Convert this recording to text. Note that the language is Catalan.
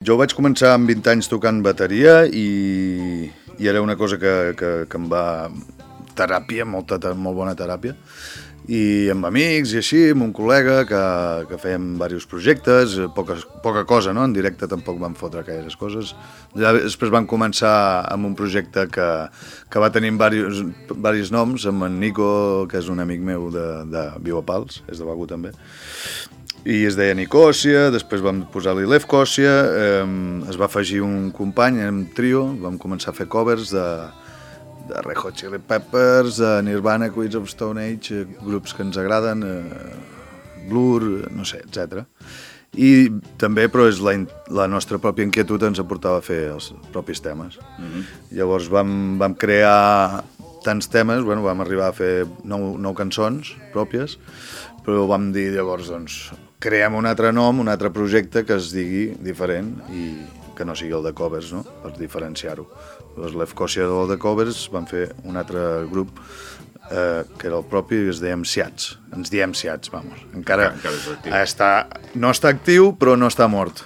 Jo vaig començar amb 20 anys tocant bateria i era una cosa que em va... teràpia, molt bona teràpia. I amb amics i així, amb un col·lega que fèiem diversos projectes, poca cosa, no? En directe tampoc vam fotre gaires coses. Després vam començar amb un projecte que va tenir diversos noms, amb en Nico, que és un amic meu de Viu a Pals, és de Begur també, i es deia Nicòsia, després vam posar-li Lefkòsia, es va afegir un company, érem trio, vam començar a fer covers de Red Hot Chili Peppers, Nirvana, Queens of Stone Age, grups que ens agraden, Blur, no sé, etc. I també, però és la nostra pròpia inquietud ens aportava a fer els propis temes. Llavors vam crear tants temes, bueno, vam arribar a fer 9 cançons pròpies, però vam dir llavors, doncs, creem un altre nom, un altre projecte que es digui diferent i que no sigui el de covers, no?, per diferenciar-ho. Les Lefkòsia del de covers van fer un altre grup que era el propi i es deia Siats. Ens diem Siats, vamos. Encara no està actiu, però no està mort.